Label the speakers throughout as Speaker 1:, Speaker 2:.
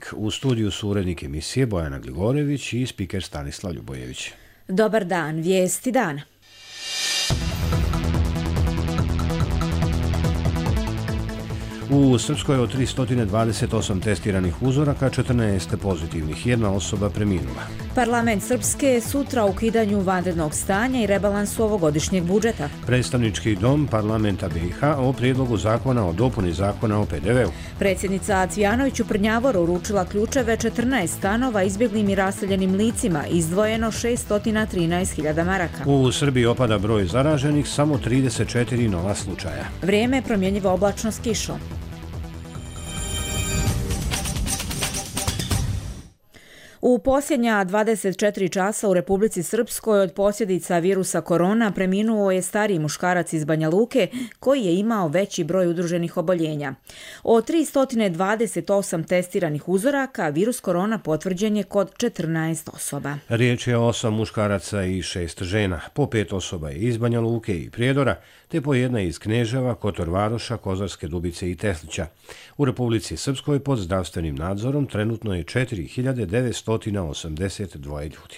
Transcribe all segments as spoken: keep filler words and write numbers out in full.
Speaker 1: četvrtak. U studiju su urednik emisije Bojana Gligorević i spiker Stanislav Ljubojević.
Speaker 2: Dobar dan, vijesti dana.
Speaker 1: U Srpskoj od tristo dvadeset osam testiranih uzoraka, četrnaest pozitivnih, jedna osoba preminula.
Speaker 2: Parlament Srpske sutra o ukidanju vanrednog stanja i rebalansu ovogodišnjeg budžeta.
Speaker 1: Predstavnički dom parlamenta B i H o prijedlogu zakona o dopuni zakona o P D V-u.
Speaker 2: Predsjednica Cvijanović u Prnjavoru uručila ključeve četrnaest stanova izbjeglim i raseljenim licima, izdvojeno šessto trinaest hiljada maraka.
Speaker 1: U Srbiji opada broj zaraženih, samo trideset četiri nova slučaja.
Speaker 2: Vrijeme promjenjivo oblačno s kišom. U posljednja dvadeset četiri časa u Republici Srpskoj od posljedica virusa korona preminuo je stariji muškarac iz Banja Luke koji je imao veći broj udruženih oboljenja. Od tristo dvadeset osam testiranih uzoraka virus korona potvrđen je kod četrnaest osoba.
Speaker 1: Riječ je o osam muškaraca i šest žena. Po pet osoba je iz Banja Luke i Prijedora, te po jedna iz Kneževa, Kotor Varoša, Kozarske Dubice i Teslića. U Republici Srpskoj pod zdravstvenim nadzorom trenutno je četiri hiljade devetsto osamdeset dva ljudi.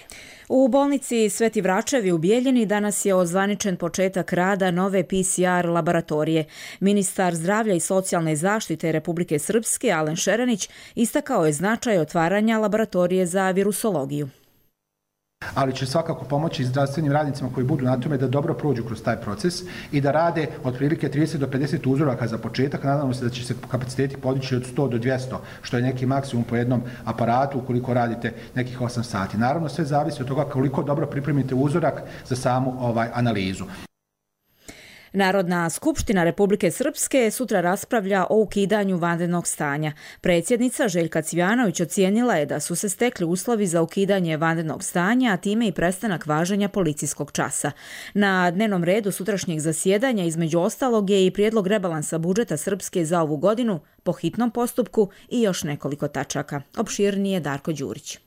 Speaker 2: U bolnici Sveti Vračevi u Bijeljini danas je ozvaničen početak rada nove P C R laboratorije. Ministar zdravlja i socijalne zaštite Republike Srpske, Alen Šeranić, istakao je značaj otvaranja laboratorije za virusologiju.
Speaker 3: Ali će svakako pomoći zdravstvenim radnicima koji budu na tome da dobro prođu kroz taj proces i da rade otprilike trideset do pedeset uzoraka za početak. Nadamo se da će se kapaciteti podići od sto do dvjesto, što je neki maksimum po jednom aparatu ukoliko radite nekih osam sati. Naravno, sve zavisi od toga koliko dobro pripremite uzorak za samu ovaj analizu.
Speaker 2: Narodna skupština Republike Srpske sutra raspravlja o ukidanju vanrednog stanja. Predsjednica Željka Cvijanović ocijenila je da su se stekli uslovi za ukidanje vanrednog stanja, a time i prestanak važenja policijskog časa. Na dnevnom redu sutrašnjeg zasjedanja između ostalog je i prijedlog rebalansa budžeta Srpske za ovu godinu po hitnom postupku i još nekoliko tačaka. Opširnije Darko Đurić.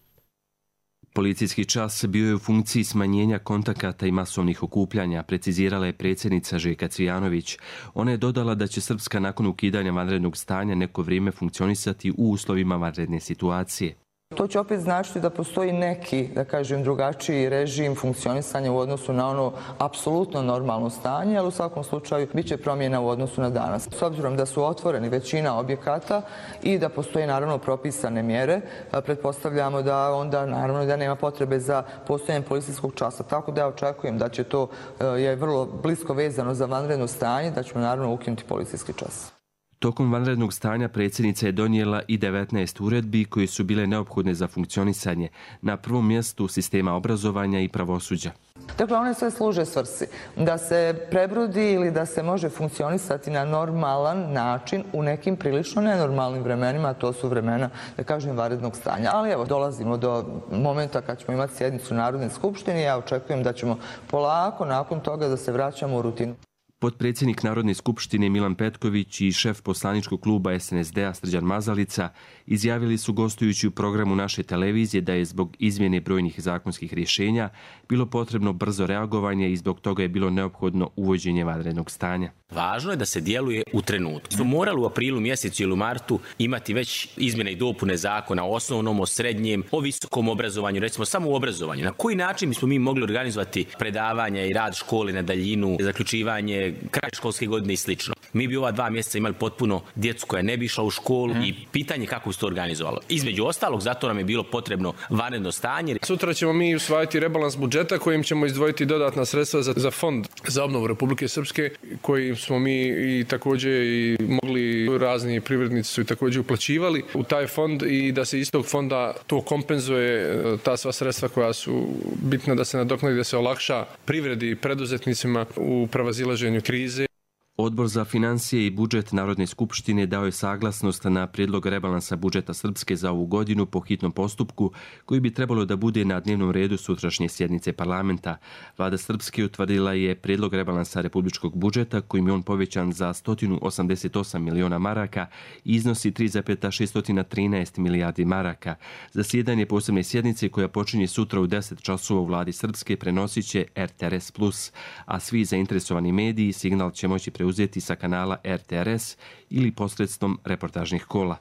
Speaker 4: Policijski čas bio je u funkciji smanjenja kontakata i masovnih okupljanja, precizirala je predsjednica Željka Cvijanović. Ona je dodala da će Srpska nakon ukidanja vanrednog stanja neko vrijeme funkcionisati u uslovima vanredne situacije.
Speaker 5: To će opet značiti da postoji neki, da kažem, drugačiji režim funkcionisanja u odnosu na ono apsolutno normalno stanje, ali u svakom slučaju bit će promjena u odnosu na danas. S obzirom da su otvoreni većina objekata i da postoje naravno propisane mjere, pretpostavljamo da onda naravno da nema potrebe za postojanje policijskog časa. Tako da ja očekujem da će to je vrlo blisko vezano za vanredno stanje, da ćemo naravno ukinuti policijski čas.
Speaker 4: Tokom vanrednog stanja predsjednica je donijela i devetnaest uredbi koje su bile neophodne za funkcionisanje, na prvom mjestu sistema obrazovanja i pravosuđa.
Speaker 5: Dakle, one sve služe svrsi da se prebrodi ili da se može funkcionisati na normalan način u nekim prilično nenormalnim vremenima, a to su vremena, da kažem, vanrednog stanja. Ali evo, dolazimo do momenta kad ćemo imati sjednicu Narodne skupštine i ja očekujem da ćemo polako nakon toga da se vraćamo u rutinu.
Speaker 4: Potpredsjednik Narodne skupštine Milan Petković i šef poslaničkog kluba S N S D-a Srđan Mazalica izjavili su gostujući u programu naše televizije da je zbog izmjene brojnih zakonskih rješenja bilo potrebno brzo reagovanje i zbog toga je bilo neophodno uvođenje vanrednog stanja.
Speaker 6: Važno je da se djeluje u trenutku. Smo morali u aprilu mjesecu ili u martu imati već izmjene i dopune zakona o osnovnom, o srednjem, o visokom obrazovanju, recimo samo u obrazovanju. Na koji način smo mi mogli organizovati predavanja i rad škole na daljinu, zaključivanje kraj školske godine i slično. Mi bi ova dva mjeseca imali potpuno djecu koja ne bi išla u školu i pitanje kako bi se to organizovalo. Između ostalog, zato nam je bilo potrebno vanredno stanje.
Speaker 7: Sutra ćemo mi usvajati rebalans budžeta kojim ćemo izdvojiti dodatna sredstva za, za fond za obnovu Republike Srpske, koji smo mi i također i mogli, razni privrednici su i također uplaćivali u taj fond i da se iz tog fonda to kompenzuje, ta sva sredstva koja su bitna da se nadoknadi, da se olakša privredi i preduzetnicima u prevazilaženju krize.
Speaker 4: Odbor za financije i budžet Narodne skupštine dao je saglasnost na prijedlog rebalansa budžeta Srpske za ovu godinu po hitnom postupku, koji bi trebalo da bude na dnevnom redu sutrašnje sjednice parlamenta. Vlada Srpske utvrdila je prijedlog rebalansa republičkog budžeta, kojim je on povećan za sto osamdeset osam miliona maraka i iznosi tri zarez šest trinaest milijardi maraka. Zasjedanje posebne sjednice koja počinje sutra u deset časova u Vladi Srpske prenosit će R T R S plus, a svi zainteresovani mediji signal će moći preuzeti sa kanala R T R S ili posredstvom reportažnih kola.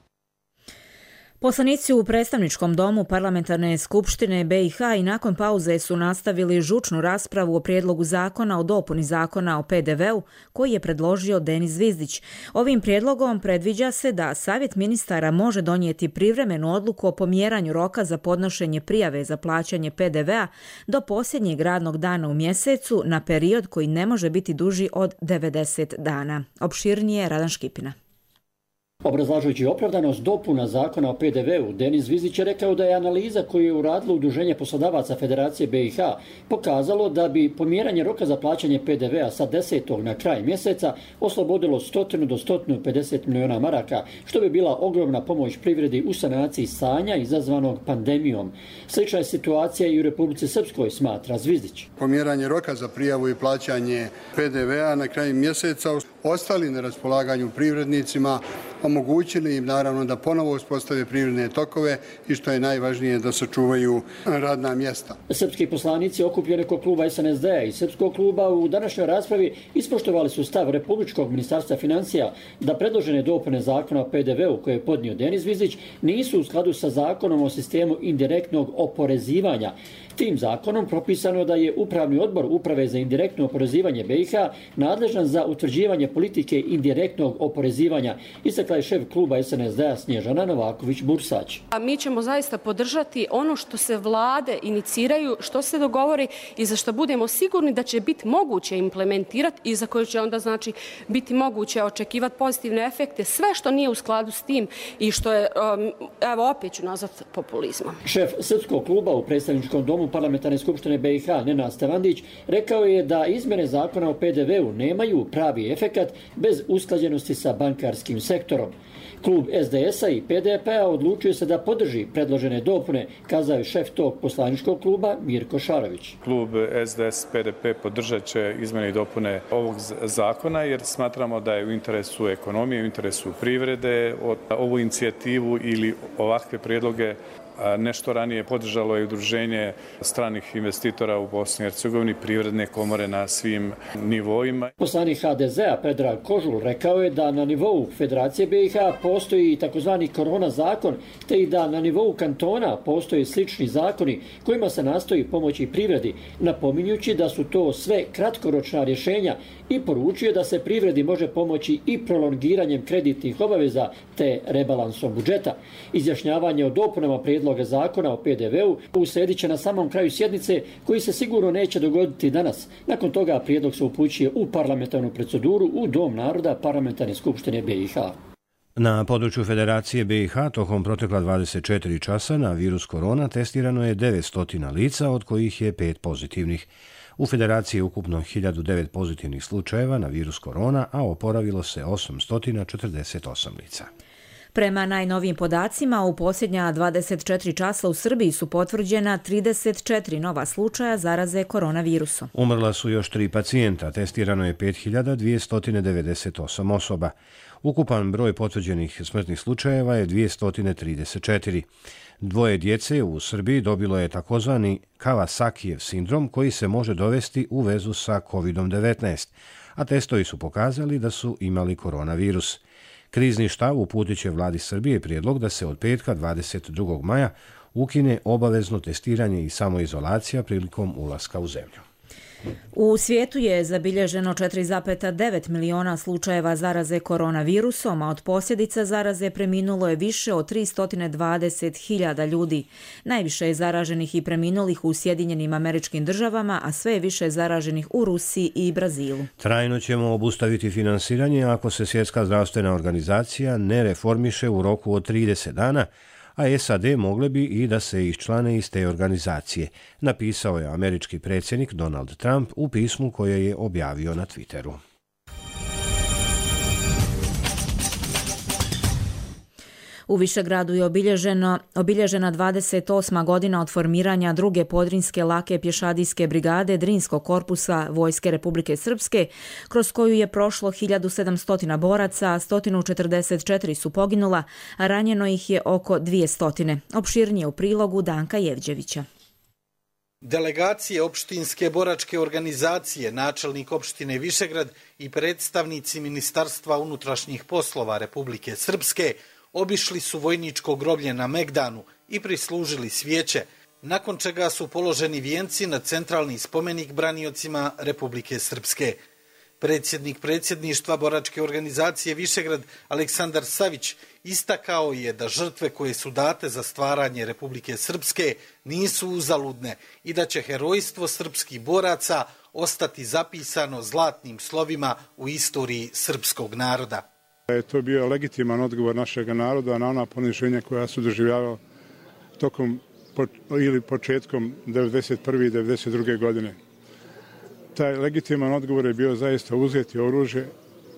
Speaker 2: Poslanici u predstavničkom domu Parlamentarne skupštine B i H i nakon pauze su nastavili žučnu raspravu o prijedlogu zakona o dopuni zakona o P D V-u koji je predložio Denis Zvizdić. Ovim prijedlogom predviđa se da Savjet ministara može donijeti privremenu odluku o pomjeranju roka za podnošenje prijave za plaćanje P D V-a do posljednjeg radnog dana u mjesecu na period koji ne može biti duži od devedeset dana. Opširnije Radan Škipina.
Speaker 8: Obrazlažujući opravdanost dopuna zakona o P D V-u, Denis Zvizdić je rekao da je analiza koju je uradilo Udruženje poslodavaca Federacije B i H pokazalo da bi pomjeranje roka za plaćanje P D V-a sa desetog na kraj mjeseca oslobodilo sto do sto pedeset miliona maraka, što bi bila ogromna pomoć privredi u sanaciji stanja izazvanog pandemijom. Slična je situacija i u Republici Srpskoj, smatra Zvizdić.
Speaker 9: Pomjeranje roka za prijavu i plaćanje P D V-a na kraju mjeseca ostali na raspolaganju privrednicima, omogućili im naravno da ponovo uspostave privredne tokove i što je najvažnije da sačuvaju radna mjesta.
Speaker 8: Srpski poslanici okupljeni kod kluba S N S D-a i Srpskog kluba u današnjoj raspravi ispoštovali su stav Republičkog ministarstva financija da predložene dopune zakona o P D V-u koje je podnio Denis Zvizdić nisu u skladu sa zakonom o sistemu indirektnog oporezivanja. Tim zakonom propisano da je Upravni odbor Uprave za indirektno oporezivanje B i H nadležan za utvrđivanje politike indirektnog oporezivanja, istakla je šef kluba S N S D-a Snježana Novaković-Bursać.
Speaker 10: A mi ćemo zaista podržati ono što se vlade iniciraju, što se dogovori i za što budemo sigurni da će biti moguće implementirati i za koje će onda znači biti moguće očekivati pozitivne efekte, sve što nije u skladu s tim i što je, evo opet ću nazvat, populizmom.
Speaker 8: Šef Srpskog kluba u predstavničkom domu Parlamentarne skupštine B i H Nenad Stevandić rekao je da izmjene zakona o P D V-u nemaju pravi efekat bez usklađenosti sa bankarskim sektorom. Klub S D S-a i P D P-a odlučio se da podrži predložene dopune, kazao je šef tog poslaničkog kluba Mirko Šarović.
Speaker 11: Klub S D S P D P podržat će izmjene i dopune ovog zakona jer smatramo da je u interesu ekonomije, u interesu privrede. Ovu inicijativu ili ovakve prijedloge nešto ranije podržalo je Udruženje stranih investitora u Bosni i Hercegovini, privredne komore na svim nivoima.
Speaker 8: Poslanik H D Z-a Predrag Kožul rekao je da na nivou Federacije B i H postoji takozvani korona zakon, te i da na nivou kantona postoje slični zakoni kojima se nastoji pomoći privredi, napominjući da su to sve kratkoročna rješenja i poručio da se privredi može pomoći i prolongiranjem kreditnih obaveza te rebalansom budžeta. Izjašnjavanje o dopunama prijedloga zakona o P D V-u usledit će na samom kraju sjednice koji se sigurno neće dogoditi danas. Nakon toga prijedlog se upućuje u parlamentarnu proceduru u Dom naroda Parlamentarne skupštine B i H.
Speaker 1: Na području Federacije B i H tokom protekla dvadeset četiri časa na virus korona testirano je devetsto lica, od kojih je pet pozitivnih. U Federaciji je ukupno hiljadu devet pozitivnih slučajeva na virus korona, a oporavilo se osamsto četrdeset osam lica.
Speaker 2: Prema najnovijim podacima, u posljednja dvadeset četiri časa u Srbiji su potvrđena trideset četiri nova slučaja zaraze koronavirusom.
Speaker 1: Umrla su još tri pacijenta, testirano je pet hiljada dvjesto devedeset osam osoba. Ukupan broj potvrđenih smrtnih slučajeva je dvjesto trideset četiri. Dvoje djece u Srbiji dobilo je takozvani Kawasakijev sindrom koji se može dovesti u vezu sa kovid devetnaest, a testovi su pokazali da su imali koronavirus. Krizni štab uputit će vladi Srbije prijedlog da se od petka dvadeset drugog maja ukine obavezno testiranje i samoizolacija prilikom ulaska u zemlju.
Speaker 2: U svijetu je zabilježeno četiri zarez devet miliona slučajeva zaraze koronavirusom, a od posljedica zaraze preminulo je više od tristo dvadeset hiljada ljudi. Najviše je zaraženih i preminulih u Sjedinjenim Američkim Državama, a sve je više zaraženih u Rusiji i Brazilu.
Speaker 1: Trajno ćemo obustaviti finansiranje ako se Svjetska zdravstvena organizacija ne reformiše u roku od trideset dana, a S A D mogle bi i da se iščlane iz te organizacije, napisao je američki predsjednik Donald Trump u pismu koje je objavio na Twitteru.
Speaker 2: U Višegradu je obilježeno, obilježena dvadeset osma godina od formiranja druge podrinske lake pješadijske brigade Drinskog korpusa Vojske Republike Srpske, kroz koju je prošlo hiljadu sedamsto boraca, sto četrdeset četiri su poginula, a ranjeno ih je oko dvjesto. Opširnije u prilogu Danka Jevđevića.
Speaker 12: Delegacije opštinske boračke organizacije, načelnik opštine Višegrad i predstavnici Ministarstva unutrašnjih poslova Republike Srpske obišli su vojničko groblje na Megdanu i prislužili svijeće, nakon čega su položeni vijenci na centralni spomenik braniocima Republike Srpske. Predsjednik predsjedništva boračke organizacije Višegrad Aleksandar Savić istakao je da žrtve koje su date za stvaranje Republike Srpske nisu uzaludne i da će herojstvo srpskih boraca ostati zapisano zlatnim slovima u istoriji srpskog naroda.
Speaker 13: Je to bio legitiman odgovor našeg naroda na ona poniženja koja su doživljavali tokom ili početkom devedeset prve i devedeset druge godine. Taj legitiman odgovor je bio zaista uzeti oružje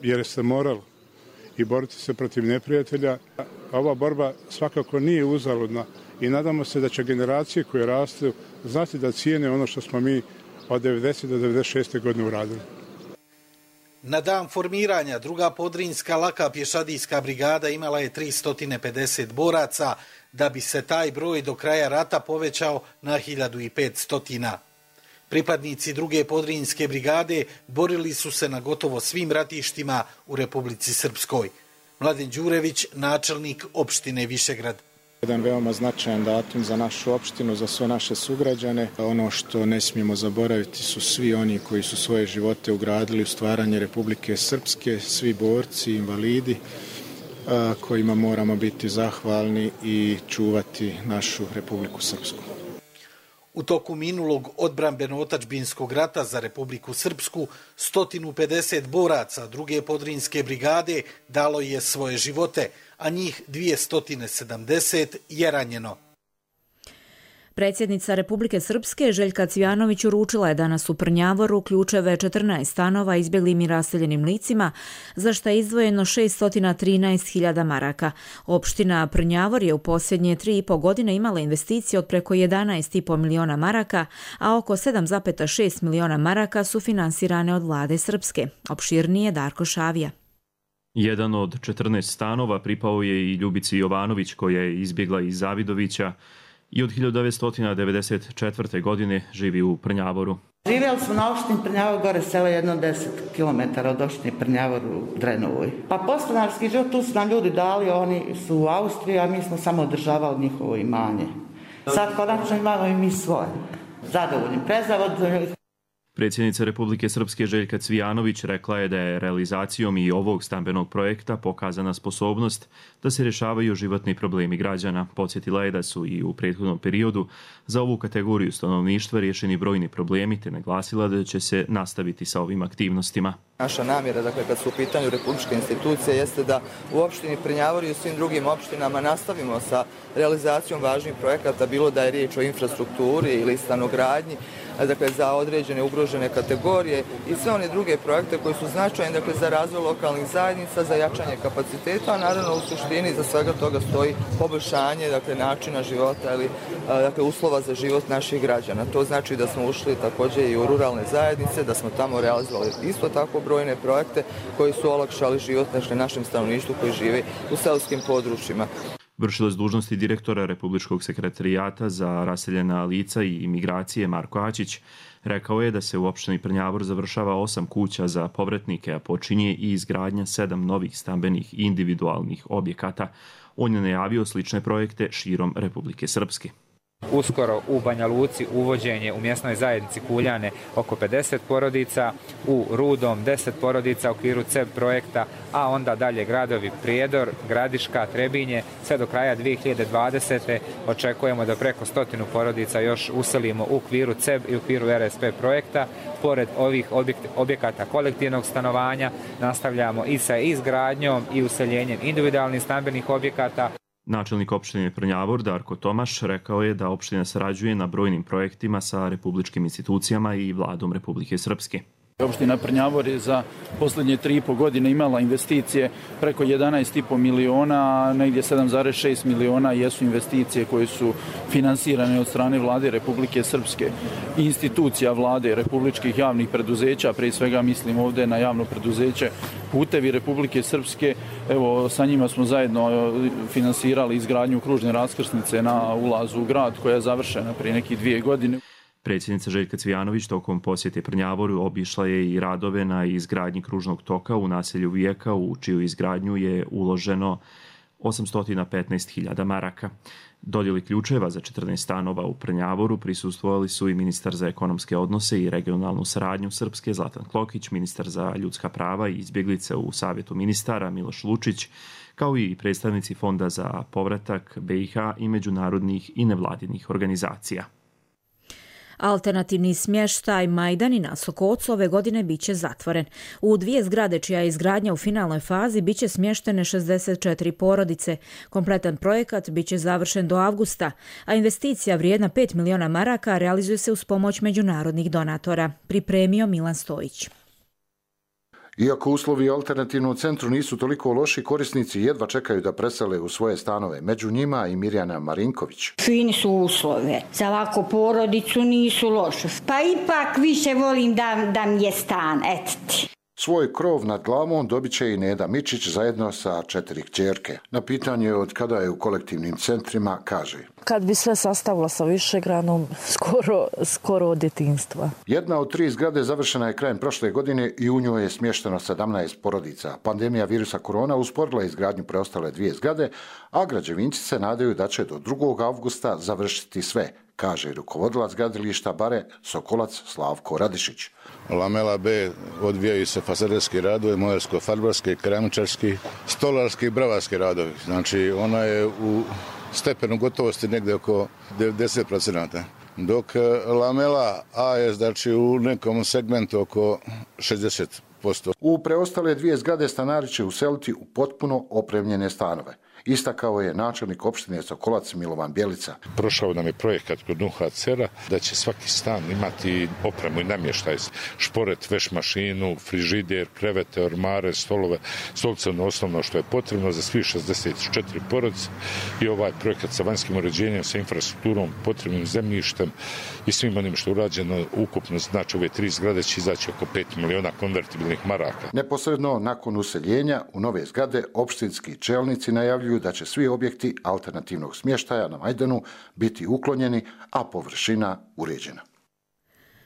Speaker 13: jer se moralo i boriti se protiv neprijatelja. Ova borba svakako nije uzaludna i nadamo se da će generacije koje rastu znati da cijene ono što smo mi od devedesete do devedeset šeste godine uradili.
Speaker 12: Na dan formiranja druga podrinjska laka pješadijska brigada imala je tristo pedeset boraca, da bi se taj broj do kraja rata povećao na hiljadu petsto. Pripadnici druge podrinjske brigade borili su se na gotovo svim ratištima u Republici Srpskoj. Mladen Đurević, načelnik opštine Višegrad.
Speaker 14: Jedan veoma značajan datum za našu opštinu, za sve naše sugrađane. Ono što ne smijemo zaboraviti su svi oni koji su svoje živote ugradili u stvaranje Republike Srpske, svi borci, invalidi, kojima moramo biti zahvalni i čuvati našu Republiku Srpsku.
Speaker 12: U toku minulog odbrambeno-otačbinskog rata za Republiku Srpsku sto pedeset boraca druge podrinjske brigade dalo je svoje živote, a njih dvjesto sedamdeset je ranjeno.
Speaker 2: Predsjednica Republike Srpske Željka Cvijanović uručila je danas u Prnjavoru ključeve četrnaest stanova izbjeglim i raseljenim licima, za što je izdvojeno šesto trinaest hiljada maraka. Opština Prnjavor je u posljednje tri i po godine imala investicije od preko jedanaest i po miliona maraka, a oko sedam zarez šest miliona maraka su finansirane od vlade Srpske. Opširnije Darko Šavija.
Speaker 15: Jedan od četrnaest stanova pripao je i Ljubici Jovanović, koja je izbjegla iz Zavidovića i od hiljadu devetsto devedeset četvrte. godine živi u Prnjavoru.
Speaker 16: Živjeli smo na opštini Prnjavor, gore sela jedno deset kilometara od opštine Prnjavor u Drenovoj. Pa podstanarski život, tu su nam ljudi dali, oni su u Austriji, a mi smo samo održavali njihovo imanje. Sad konačno imamo i mi svoje. Zadovoljni, prezadovoljni.
Speaker 15: Predsjednica Republike Srpske Željka Cvijanović rekla je da je realizacijom i ovog stambenog projekta pokazana sposobnost da se rješavaju životni problemi građana. Podsjetila je da su i u prethodnom periodu za ovu kategoriju stanovništva riješeni brojni problemi, te naglasila da će se nastaviti sa ovim aktivnostima.
Speaker 5: Naša namjera, dakle, kad su u pitanju republičke institucije, jeste da u opštini Prnjavor i u svim drugim opštinama nastavimo sa realizacijom važnih projekata, bilo da je riječ o infrastrukturi ili stanogradnji, dakle, za određene ugrožene kategorije i sve one druge projekte koji su značajni, dakle, za razvoj lokalnih zajednica, za jačanje kapaciteta, a naravno u suštini za svega toga stoji poboljšanje, dakle, načina života ili, dakle, uslova za život naših građana. To znači da smo ušli također i u ruralne zajednice, da smo tamo realizovali isto tako brojne projekte koji su olakšali život našem stanovništvu koji živi u seoskim područjima.
Speaker 15: Vršilac dužnosti direktora Republičkog sekretarijata za raseljena lica i imigracije Marko Ačić rekao je da se u opštini Prnjavor završava osam kuća za povratnike, a počinje i izgradnja sedam novih stambenih individualnih objekata. On je najavio slične projekte širom Republike Srpske.
Speaker 17: Uskoro u Banja Luci uvođenje u mjesnoj zajednici Kuljane oko pedeset porodica, u Rudom deset porodica u okviru C E B projekta, a onda dalje gradovi Prijedor, Gradiška, Trebinje. Sve do kraja dvije hiljade dvadesete. očekujemo da preko stotinu porodica još uselimo u okviru C E B i u okviru R S P projekta. Pored ovih objekata kolektivnog stanovanja nastavljamo i sa izgradnjom i useljenjem individualnih stambenih objekata.
Speaker 15: Načelnik opštine Prnjavor Darko Tomaš rekao je da opština sarađuje na brojnim projektima sa republičkim institucijama i vladom Republike Srpske.
Speaker 18: Opština Prnjavor je za posljednje tri i po godine imala investicije preko jedanaest i po miliona, a negdje sedam zarez šest miliona jesu investicije koje su finansirane od strane vlade Republike Srpske i institucija vlade republičkih javnih preduzeća, prije svega mislim ovdje na javno preduzeće Putevi Republike Srpske. Evo, sa njima smo zajedno finansirali izgradnju kružne raskrsnice na ulazu u grad koja je završena prije nekih dvije godine.
Speaker 15: Predsjednica Željka Cvijanović tokom posjete Prnjavoru obišla je i radove na izgradnji kružnog toka u naselju Vijeka, u čiju izgradnju je uloženo osamsto petnaest hiljada maraka. Dodjeli ključeva za četrnaest stanova u Prnjavoru prisustvovali su i ministar za ekonomske odnose i regionalnu saradnju Srpske Zlatan Klokić, ministar za ljudska prava i izbjeglice u Savjetu ministara Miloš Lučić, kao i predstavnici Fonda za povratak B i H i međunarodnih i nevladinih organizacija.
Speaker 2: Alternativni smještaj Majdani na Sokocu ove godine biće zatvoren. U dvije zgrade čija je izgradnja u finalnoj fazi biće smještene šezdeset četiri porodice. Kompletan projekat biće završen do avgusta, a investicija vrijedna pet miliona maraka realizuje se uz pomoć međunarodnih donatora. Pripremio Milan Stojić.
Speaker 19: Iako uslovi u alternativnom centru nisu toliko loši, korisnici jedva čekaju da presele u svoje stanove. Među njima i Mirjana Marinković.
Speaker 20: Fini su uslove. Za ovako porodicu nisu loše. Pa ipak više volim da, da mi je stan, etiti.
Speaker 19: Svoj krov nad glavom dobit će i Neda Mičić zajedno sa četiri kćerke. Na pitanje od kada je u kolektivnim centrima kaže:
Speaker 21: Kad bi sve sastavila sa Višegranom, skoro, skoro od djetinjstva.
Speaker 19: Jedna od tri zgrade završena je krajem prošle godine i u njoj je smješteno sedamnaest porodica. Pandemija virusa korona usporila izgradnju preostale dvije zgrade, a građevinci se nadaju da će do drugog avgusta završiti sve, kaže rukovodilac gradilišta Bare Sokolac Slavko Radišić.
Speaker 22: Lamela B odvijaju se fasaderski radovi, molersko-farbarski, keramičarski, stolarski i bravarski radovi. Znači ona je u stepenu gotovosti negdje oko devedeset procenata. Dok lamela A je znači u nekom segmentu oko šezdeset posto.
Speaker 19: U preostale dvije zgrade stanari će useliti u potpuno opremljene stanove. Istakao je načelnik opštine Sokolac Milovan Bjelica.
Speaker 23: Prošao nam je projekat kod U H C R-a da će svaki stan imati opremu i namještaj, šporet, veš mašinu, frižider, krevete, ormare, stolove, stolice, osnovno što je potrebno za svih šezdeset četiri porodice i ovaj projekat sa vanjskim uređenjem, sa infrastrukturom, potrebnim zemljištem i svim onim što je urađeno ukupno, znači ove tri zgrade će izaći oko pet miliona konvertibilnih maraka.
Speaker 19: Neposredno nakon useljenja u nove zgrade opštinski čelnici najavljuju da će svi objekti alternativnog smještaja na Majdanu biti uklonjeni, a površina uređena.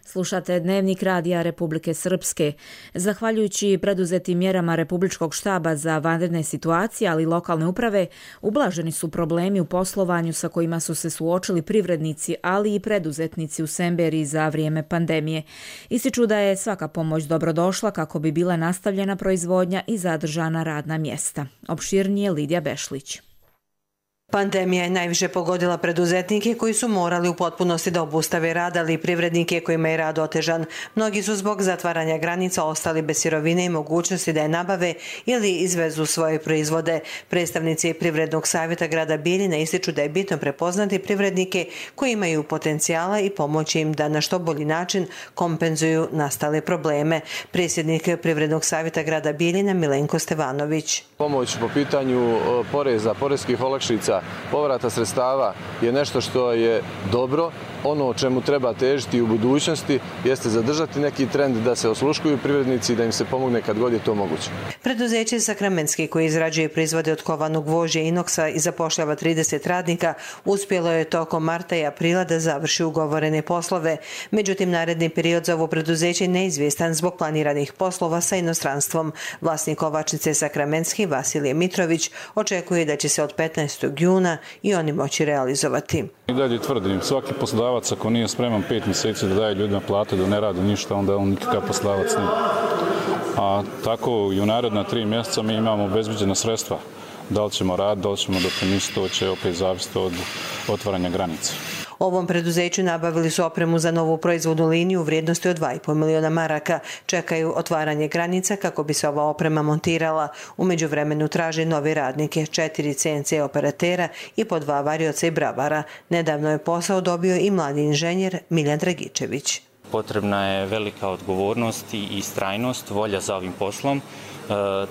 Speaker 2: Slušate Dnevnik Radija Republike Srpske. Zahvaljujući preduzetim mjerama Republičkog štaba za vanredne situacije, ali i lokalne uprave, ublaženi su problemi u poslovanju sa kojima su se suočili privrednici, ali i preduzetnici u Semberiji za vrijeme pandemije. Ističu da je svaka pomoć dobrodošla kako bi bila nastavljena proizvodnja i zadržana radna mjesta. Opširnije Lidija Bešlić.
Speaker 24: Pandemija je najviše pogodila preduzetnike koji su morali u potpunosti da obustave rad, ali i privrednike kojima je rad otežan. Mnogi su zbog zatvaranja granica ostali bez sirovine i mogućnosti da je nabave ili izvezu svoje proizvode. Predstavnici Privrednog savjeta grada Bijeljina ističu da je bitno prepoznati privrednike koji imaju potencijala i pomoći im da na što bolji način kompenzuju nastale probleme. Predsjednik Privrednog savjeta grada Bijeljina Milenko Stevanović.
Speaker 25: Pomoć po pitanju poreza, poreskih olakšica, povrata sredstava je nešto što je dobro. Ono o čemu treba težiti u budućnosti jeste zadržati neki trend da se osluškuju privrednici i da im se pomogne kad god je to moguće.
Speaker 24: Preduzeće Sakramenski koje izrađuje proizvode od kovanog gvožđa inoksa i zapošljava trideset radnika uspjelo je tokom marta i aprila da završi ugovorene poslove. Međutim, naredni period za ovo preduzeće je neizvjestan zbog planiranih poslova sa inostranstvom. Vlasnik kovačnice Sakramenski Vasilije Mitrović očekuje da će se od petnaestog juna i oni moći realizovati.
Speaker 26: I dalje tvrdim, svaki poslodavac ako nije spreman pet mjeseci da daje ljudima plate, da ne radi ništa, onda on nikakav poslodavac nije. A tako i u naredna tri mjeseca mi imamo obezbeđena sredstva. Da li ćemo raditi, da li ćemo doprinositi, to će opet zavisiti od otvaranja granica.
Speaker 24: Ovom preduzeću nabavili su opremu za novu proizvodnu liniju u vrijednosti od dva i pol miliona maraka. Čekaju otvaranje granica kako bi se ova oprema montirala. U međuvremenu traže nove radnike, četiri C N C operatera i po dva varioca i bravara. Nedavno je posao dobio i mladi inženjer Miljan Dragičević.
Speaker 27: Potrebna je velika odgovornost i istrajnost, volja za ovim poslom, e,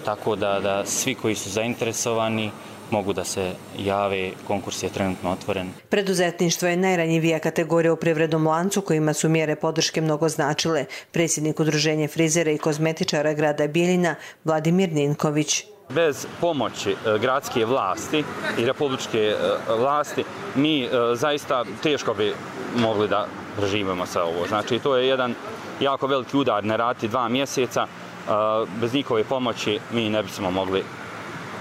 Speaker 27: tako da, da svi koji su zainteresovani mogu da se jave, konkurs je trenutno otvoren.
Speaker 24: Preduzetništvo je najranjivija kategorija u privrednom lancu kojima su mjere podrške mnogo značile. Predsjednik Udruženja frizera i kozmetičara grada Bijeljina Vladimir Ninković.
Speaker 28: Bez pomoći gradske vlasti i republičke vlasti mi zaista teško bi mogli da preživimo sa ovo. Znači to je jedan jako veliki udar na rati dva mjeseca. Bez njihove pomoći mi ne bismo mogli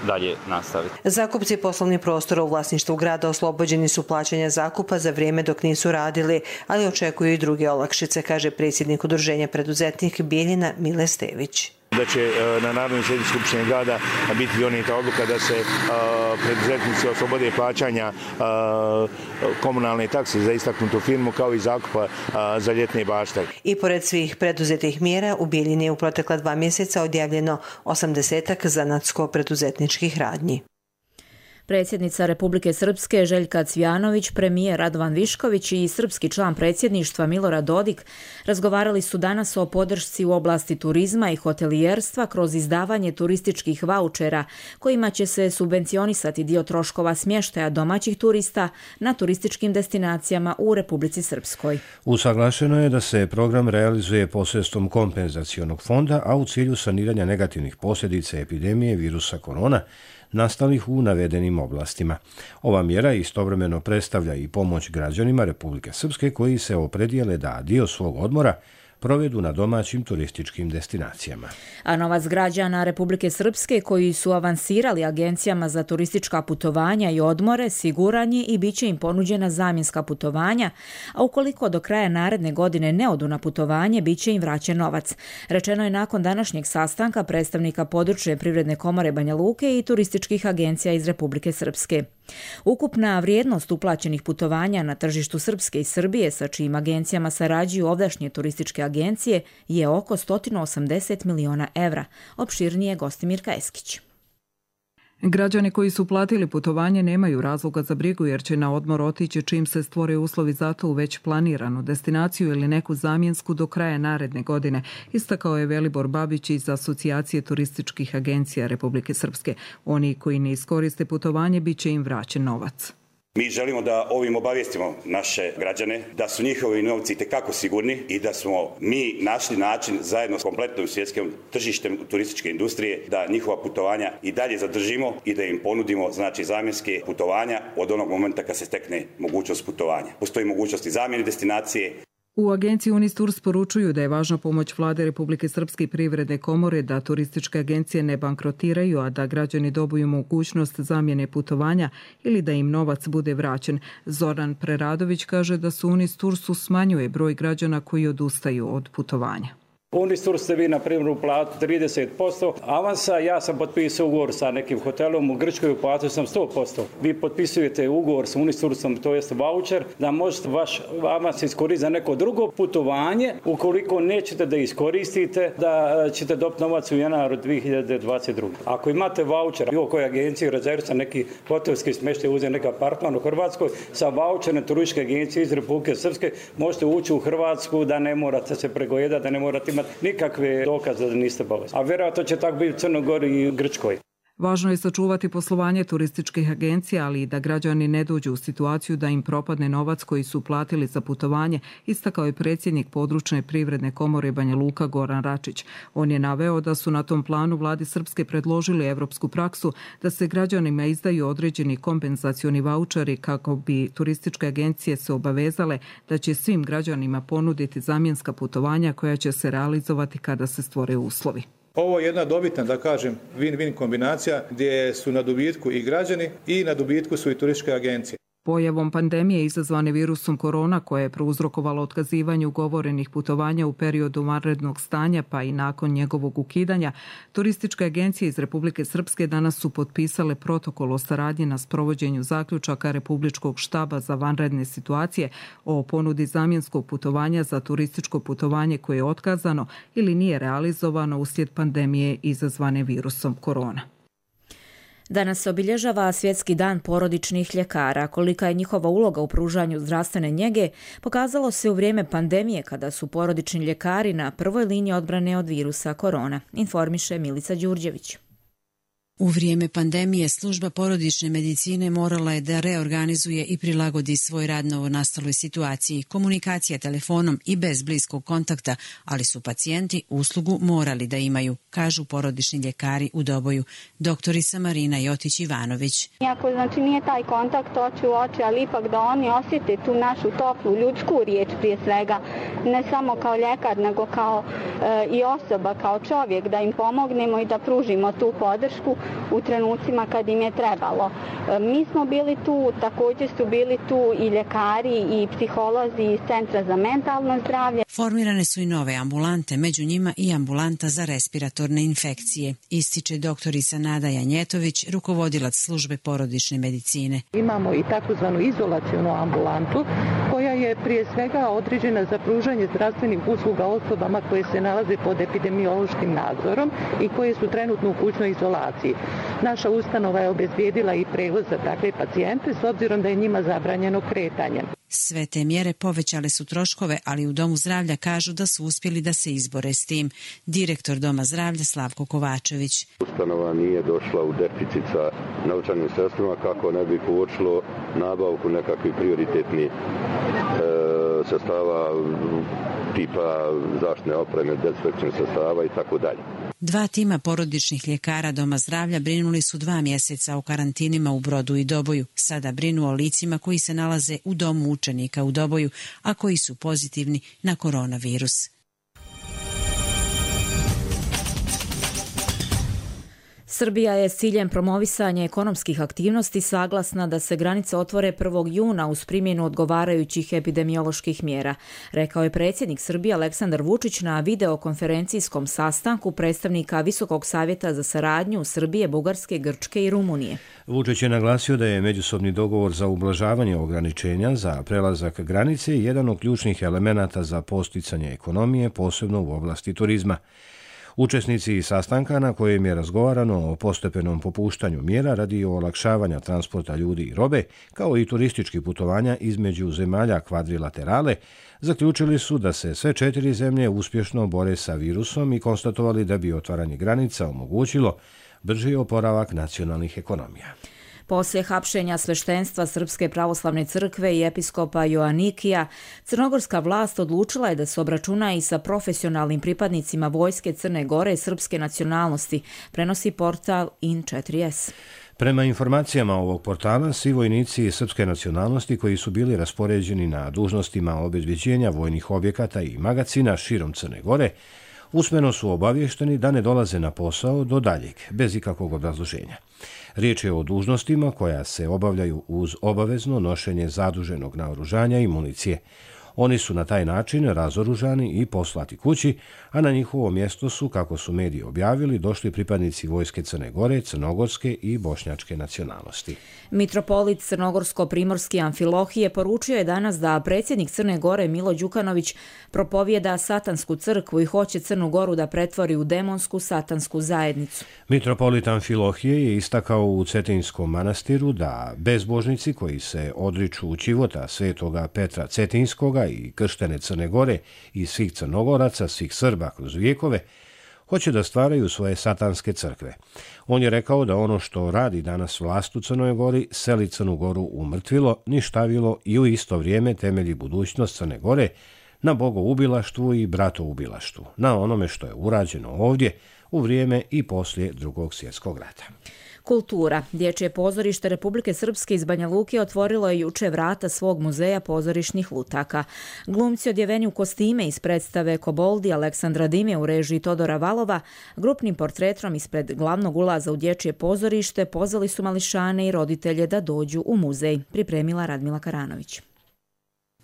Speaker 28: dalje nastaviti.
Speaker 24: Zakupci poslovnih prostora u vlasništvu grada oslobođeni su plaćanja zakupa za vrijeme dok nisu radili, ali očekuju i druge olakšice, kaže predsjednik Udruženja preduzetnik Bijeljina Mile Stević.
Speaker 3: Da će na Narodnoj sjednici Skupštine grada biti donijeta odluka da se preduzetnici oslobode plaćanja komunalne takse za istaknutu firmu kao i zakupa za ljetne bašte.
Speaker 24: I pored svih preduzetih mjera u Bijeljini je u protekla dva mjeseca odjavljeno osamdesetak zanatsko-preduzetničkih radnji.
Speaker 2: Predsjednica Republike Srpske Željka Cvijanović, premijer Radovan Višković i srpski član predsjedništva Milorad Dodik razgovarali su danas o podršci u oblasti turizma i hotelijerstva kroz izdavanje turističkih vaučera kojima će se subvencionisati dio troškova smještaja domaćih turista na turističkim destinacijama u Republici Srpskoj.
Speaker 1: Usaglašeno je da se program realizuje posredstvom kompenzacionog fonda, a u cilju saniranja negativnih posljedica epidemije virusa korona nastalih u navedenim oblastima. Ova mjera istovremeno predstavlja i pomoć građanima Republike Srpske koji se opredijele da dio svog odmora provedu na domaćim turističkim destinacijama.
Speaker 2: A novac građana Republike Srpske koji su avansirali agencijama za turistička putovanja i odmore siguran je i bit će im ponuđena zamjenska putovanja, a ukoliko do kraja naredne godine ne odu na putovanje, bit će im vraćen novac. Rečeno je nakon današnjeg sastanka predstavnika područne privredne komore Banja Luke i turističkih agencija iz Republike Srpske. Ukupna vrijednost uplaćenih putovanja na tržištu Srpske i Srbije, sa čijim agencijama sarađuju ovdašnje turističke agencije, je oko sto osamdeset miliona evra. Opširnije Gostimirka Eskić.
Speaker 4: Građani koji su platili putovanje nemaju razloga za brigu jer će na odmor otići čim se stvore uslovi za to u već planiranu destinaciju ili neku zamjensku do kraja naredne godine, istakao je Velibor Babić iz Asocijacije turističkih agencija Republike Srpske. Oni koji ne iskoriste putovanje bit će im vraćen novac.
Speaker 6: Mi želimo da ovim obavijestimo naše građane da su njihovi novci itekako sigurni i da smo mi našli način zajedno s kompletnom svjetskim tržištem turističke industrije da njihova putovanja i dalje zadržimo i da im ponudimo znači zamjenske putovanja od onog momenta kad se stekne mogućnost putovanja. Postoji mogućnost i zamjene destinacije.
Speaker 4: U agenciji Unistours poručuju da je važna pomoć Vlade Republike Srpske i privredne komore da turističke agencije ne bankrotiraju, a da građani dobiju mogućnost zamjene putovanja ili da im novac bude vraćen. Zoran Preradović kaže da su Unistoursu smanjuje broj građana koji odustaju od putovanja.
Speaker 7: Unistours ste vi, na primjer, uplatili trideset posto avansa, ja sam potpisao ugovor sa nekim hotelom u Grčkoj, uplatio sam sto posto. Vi potpisujete ugovor sa Unistoursom, to jest voucher, da možete vaš avans iskoristiti za neko drugo putovanje, ukoliko nećete da iskoristite, da ćete dobiti novac u januaru dvije hiljade dvadeset druge. Ako imate voucher, bilo koje agencije rezervu sa neki hotelski smještaj, uzeti neki apartman u Hrvatskoj, sa voucherne turističke agencije iz Republike Srpske, možete ući u Hrvatsku da ne morate se pregojedati, da ne morate imati nikakve dokaze da niste bolesni. A vjerojatno će tako biti u Crnoj Gori i Grčkoj.
Speaker 4: Važno je sačuvati poslovanje turističkih agencija, ali i da građani ne dođu u situaciju da im propadne novac koji su platili za putovanje, istakao je predsjednik područne privredne komore Banja Luka Goran Račić. On je naveo da su na tom planu vladi Srpske predložili evropsku praksu da se građanima izdaju određeni kompenzacioni vaučeri kako bi turističke agencije se obavezale da će svim građanima ponuditi zamjenska putovanja koja će se realizovati kada se stvore uslovi.
Speaker 8: Ovo je jedna dobitna, da kažem, win-win kombinacija gdje su na dobitku i građani i na dobitku su i turističke agencije.
Speaker 4: Pojavom pandemije izazvane virusom korona, koje je prouzrokovalo otkazivanje ugovorenih putovanja u periodu vanrednog stanja pa i nakon njegovog ukidanja, turističke agencije iz Republike Srpske danas su potpisale protokol o saradnji na sprovođenju zaključaka Republičkog štaba za vanredne situacije o ponudi zamjenskog putovanja za turističko putovanje koje je otkazano ili nije realizovano uslijed pandemije izazvane virusom korona.
Speaker 2: Danas se obilježava Svjetski dan porodičnih ljekara. Kolika je njihova uloga u pružanju zdravstvene njege pokazalo se u vrijeme pandemije kada su porodični ljekari na prvoj liniji odbrane od virusa korona, informiše Milica Đurđević.
Speaker 9: U vrijeme pandemije služba porodične medicine morala je da reorganizuje i prilagodi svoj rad novonastaloj situaciji, komunikacija telefonom i bez bliskog kontakta, ali su pacijenti uslugu morali da imaju, kažu porodični ljekari u Doboju, doktorica Marina Jotić-Ivanović.
Speaker 10: Iako znači nije taj kontakt oči u oči, ali ipak da oni osjete tu našu toplu ljudsku riječ prije svega, ne samo kao ljekar, nego kao i osoba kao čovjek da im pomognemo i da pružimo tu podršku u trenucima kad im je trebalo. Mi smo bili tu, također su bili tu i ljekari i psiholozi iz Centra za mentalno zdravlje.
Speaker 9: Formirane su i nove ambulante, među njima i ambulanta za respiratorne infekcije, ističe doktorica Nada Janjetović, rukovodilac službe porodične medicine.
Speaker 5: Imamo i takozvanu izolacionu ambulantu koja je prije svega određena za pružanje zdravstvenih usluga osobama koje se nalaze pod epidemiološkim nadzorom i koje su trenutno u kućnoj izolaciji. Naša ustanova je obezbijedila i prevoz za takve pacijente s obzirom da je njima zabranjeno kretanje.
Speaker 9: Sve te mjere povećale su troškove, ali u Domu zdravlja kažu da su uspjeli da se izbore s tim. Direktor Doma zdravlja Slavko Kovačević.
Speaker 11: Ustanova nije došla u deficit sa novčanim sredstvima kako ne bi kočilo nabavku nekakvih prioritetnih e, sredstava tipa zaštitne opreme, dezinfekcijnih sredstava i tako dalje.
Speaker 9: Dva tima porodičnih ljekara Doma zdravlja brinuli su dva mjeseca o karantinima u Brodu i Doboju. Sada brinu o licima koji se nalaze u domu učenika u Doboju, a koji su pozitivni na koronavirus.
Speaker 2: Srbija je s ciljem promovisanja ekonomskih aktivnosti saglasna da se granice otvore prvog juna uz primjenu odgovarajućih epidemioloških mjera, rekao je predsjednik Srbije Aleksandar Vučić na videokonferencijskom sastanku predstavnika Visokog savjeta za saradnju Srbije, Bugarske, Grčke i Rumunije.
Speaker 1: Vučić je naglasio da je međusobni dogovor za ublažavanje ograničenja za prelazak granice jedan od ključnih elemenata za posticanje ekonomije, posebno u oblasti turizma. Učesnici sastanka na kojem je razgovarano o postepenom popuštanju mjera radi olakšavanja transporta ljudi i robe, kao i turističkih putovanja između zemalja kvadrilaterale, zaključili su da se sve četiri zemlje uspješno bore sa virusom i konstatovali da bi otvaranje granica omogućilo brži oporavak nacionalnih ekonomija.
Speaker 2: Poslije hapšenja sveštenstva Srpske pravoslavne crkve i episkopa Joanikija, crnogorska vlast odlučila je da se obračuna i sa profesionalnim pripadnicima vojske Crne Gore srpske nacionalnosti, prenosi portal in četiri es.
Speaker 1: Prema informacijama ovog portala, svi vojnici srpske nacionalnosti koji su bili raspoređeni na dužnostima obezbeđenja vojnih objekata i magacina širom Crne Gore usmeno su obavješteni da ne dolaze na posao do daljeg, bez ikakvog obrazloženja. Riječ je o dužnostima koja se obavljaju uz obavezno nošenje zaduženog naoružanja i municije. Oni su na taj način razoružani i poslati kući, a na njihovo mjesto su, kako su mediji objavili, došli pripadnici vojske Crne Gore, crnogorske i bošnjačke nacionalnosti.
Speaker 2: Mitropolit Crnogorsko-primorski Amfilohije poručio je danas da predsjednik Crne Gore Milo Đukanović propovjeda satansku crkvu i hoće Crnu Goru da pretvori u demonsku satansku zajednicu.
Speaker 1: Mitropolit Amfilohije je istakao u Cetinskom manastiru da bezbožnici koji se odriču ćivota svetoga Petra Cetinskoga i krštene Crne Gore i svih Crnogoraca, svih Srba kroz vijekove, hoće da stvaraju svoje satanske crkve. On je rekao da ono što radi danas vlast u Crnoj Gori seli Crnu Goru u mrtvilo, ništavilo i u isto vrijeme temelji budućnost Crne Gore na bogoubilaštvu i bratoubilaštvu, na onome što je urađeno ovdje u vrijeme i poslije Drugog svjetskog rata.
Speaker 2: Kultura. Dječje pozorište Republike Srpske iz Banja Luke otvorilo je juče vrata svog muzeja pozorišnih lutaka. Glumci odjeveni u kostime iz predstave Koboldi Aleksandra Dime u režiji Todora Valova, grupnim portretom ispred glavnog ulaza u dječje pozorište pozvali su mališane i roditelje da dođu u muzej, pripremila Radmila Karanović.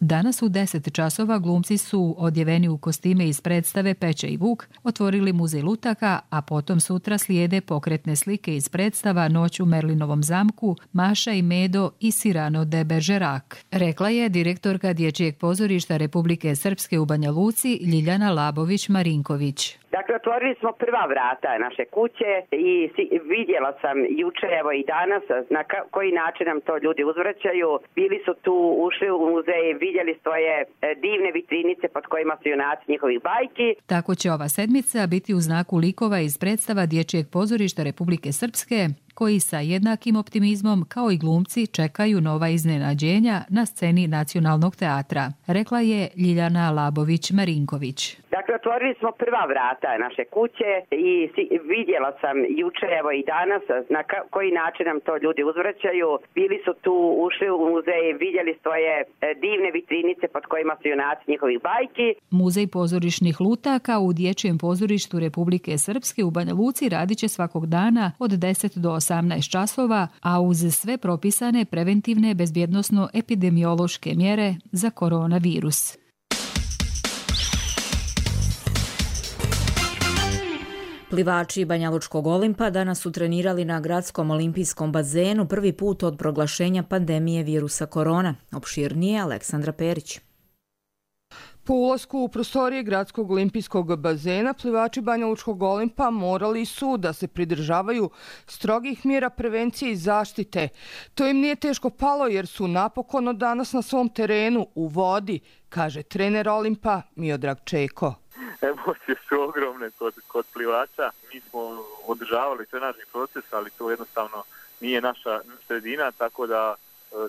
Speaker 12: Danas u deset časova glumci su odjeveni u kostime iz predstave Peće i Vuk otvorili muzej lutaka, a potom sutra slijede pokretne slike iz predstava Noć u Merlinovom zamku, Maša i Medo i Sirano de Bergerac, rekla je direktorka Dječjeg pozorišta Republike Srpske u Banja Luci Ljiljana Labović-Marinković.
Speaker 13: Dakle, otvorili smo prva vrata naše kuće i vidjela sam juče, evo i danas, na koji način nam to ljudi uzvraćaju. Bili su tu, ušli u muzej, vidjeli svoje divne vitrinice pod kojima su junaci njihovih bajki.
Speaker 12: Tako će ova sedmica biti u znaku likova iz predstava Dječjeg pozorišta Republike Srpske, koji sa jednakim optimizmom kao i glumci čekaju nova iznenađenja na sceni Nacionalnog teatra, rekla je Ljiljana Labović-Marinković.
Speaker 13: Dakle, otvorili smo prva vrata naše kuće i vidjela sam juče, evo i danas, na koji način nam to ljudi uzvraćaju. Bili su tu, ušli u muzej, vidjeli svoje divne vitrinice pod kojima su junaci njihovih bajki.
Speaker 12: Muzej pozorišnih lutaka u Dječjem pozorištu Republike Srpske u Banja Luci radit će svakog dana od deset do osamnaest časova, a uz sve propisane preventivne bezbjednosno-epidemiološke mjere za koronavirus.
Speaker 2: Plivači Banjalučkog Olimpa danas su trenirali na gradskom olimpijskom bazenu prvi put od proglašenja pandemije virusa korona. Opširnije Aleksandra Perić.
Speaker 14: Po ulasku u prostorije gradskog olimpijskog bazena, plivači Banjalučkog Olimpa morali su da se pridržavaju strogih mjera prevencije i zaštite. To im nije teško palo jer su napokon od danas na svom terenu u vodi, kaže trener Olimpa Miodrag Čeko.
Speaker 15: Emocije su ogromne kod, kod plivača. Mi smo održavali trenažni proces, ali to jednostavno nije naša sredina, tako da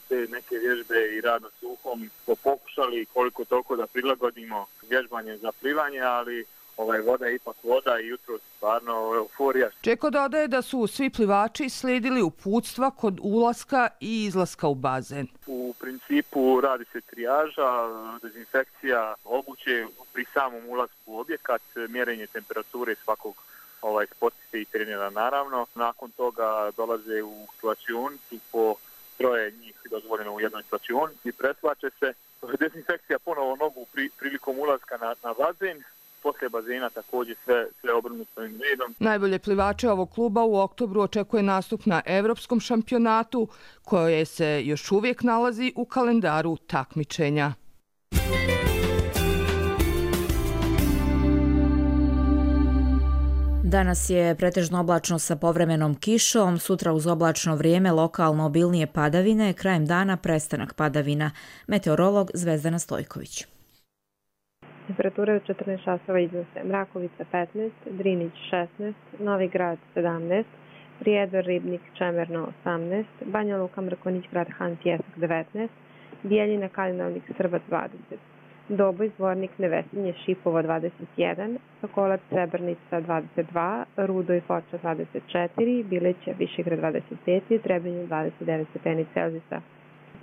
Speaker 15: te neke vježbe i rad na suhom smo pokušali koliko toliko da prilagodimo vježbanje za plivanje, ali ovaj, voda je ipak voda i jutro stvarno euforija.
Speaker 14: Čeko dodaje da su svi plivači slijedili uputstva kod ulaska i izlaska u bazen.
Speaker 15: U principu radi se trijaža, dezinfekcija obuće pri samom ulasku u objekat, mjerenje temperature svakog ovaj, sportiste i trenera naravno. Nakon toga dolaze u slačionicu po troje njih dozvoljeno u jednoj slačionici, preslače se. Dezinfekcija ponovo nogu pri, prilikom ulaska na, na bazen. Poslije bazena također sve, sve obrnuto ovim redom.
Speaker 14: Najbolje plivače ovog kluba u oktobru očekuje nastup na Evropskom šampionatu, koje se još uvijek nalazi u kalendaru takmičenja.
Speaker 2: Danas je pretežno oblačno sa povremenom kišom, sutra uz oblačno vrijeme lokalno obilnije padavine, krajem dana prestanak padavina. Meteorolog Zvezdana Stojković.
Speaker 16: Temperature od četrnaest časova iznose Mrakovica petnaest, Drinić šesnaest, Novi Grad sedamnaest, Prijedor, Ribnik, Čemerno osamnaest, Banja Luka, Mrkonjić, Grad Han, Pjesak devetnaest, Bijeljina, Kalinovnik, Srbac dvadeset, Doboj, Zvornik, Nevesinje, Šipovo dvadeset jedan, Sokolac, Srebrnica dvadeset dva, Rudo i Foča dvadeset četiri, Bileća, Višegrad dvadeset pet, Trebinje dvadeset devet stepeni Celzijusa.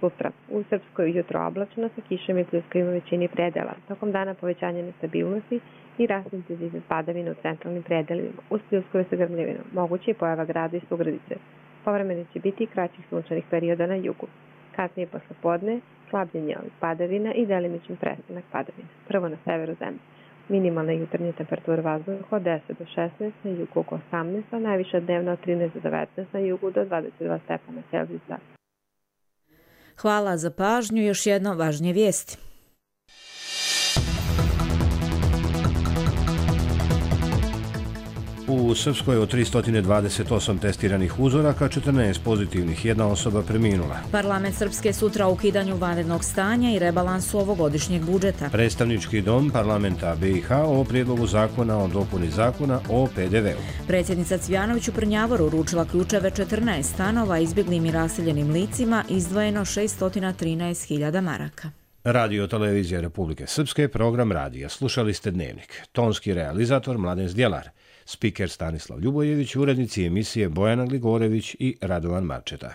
Speaker 16: Sutra u Srpskoj jutro oblačno sa kišom i pljuskovima u većini predela. Tokom dana povećanje nestabilnosti i rast intenzivne padavine u centralnim predelima. Uz pljuskove sa grmljevinom moguće je pojava grada i sugradice. Povremeno će biti kraćih sunčanih perioda na jugu. Kasnije posle podne slabljenje ovih padavina i delimičan prestanak padavina. Prvo na severu zemlje. Minimalna jutarnja temperatura vazduha od deset do šesnaest, na jugu oko osamnaest, a najviša dnevna od trinaest do devetnaest, na jugu do dvadeset dva stepena Celzijusa.
Speaker 2: Hvala za pažnju. Još jedno važnije vijesti.
Speaker 1: U Srpskoj od tristo dvadeset osam testiranih uzoraka, četrnaest pozitivnih, jedna osoba preminula.
Speaker 2: Parlament Srpske sutra o ukidanju vanrednog stanja i rebalansu ovogodišnjeg budžeta.
Speaker 1: Predstavnički dom parlamenta B i H o prijedlogu zakona o dopuni zakona o P D V-u.
Speaker 2: Predsjednica Cvjanović u Prnjavoru uručila ključeve četrnaest stanova izbjeglim i raseljenim licima, izdvojeno šesto trinaest hiljada maraka.
Speaker 1: Radio Televizija Republike Srpske, program radija. Slušali ste Dnevnik. Tonski realizator Mladen Zdjelar. Spiker Stanislav Ljubojević, urednici emisije Bojana Gligorević i Radovan Marčeta.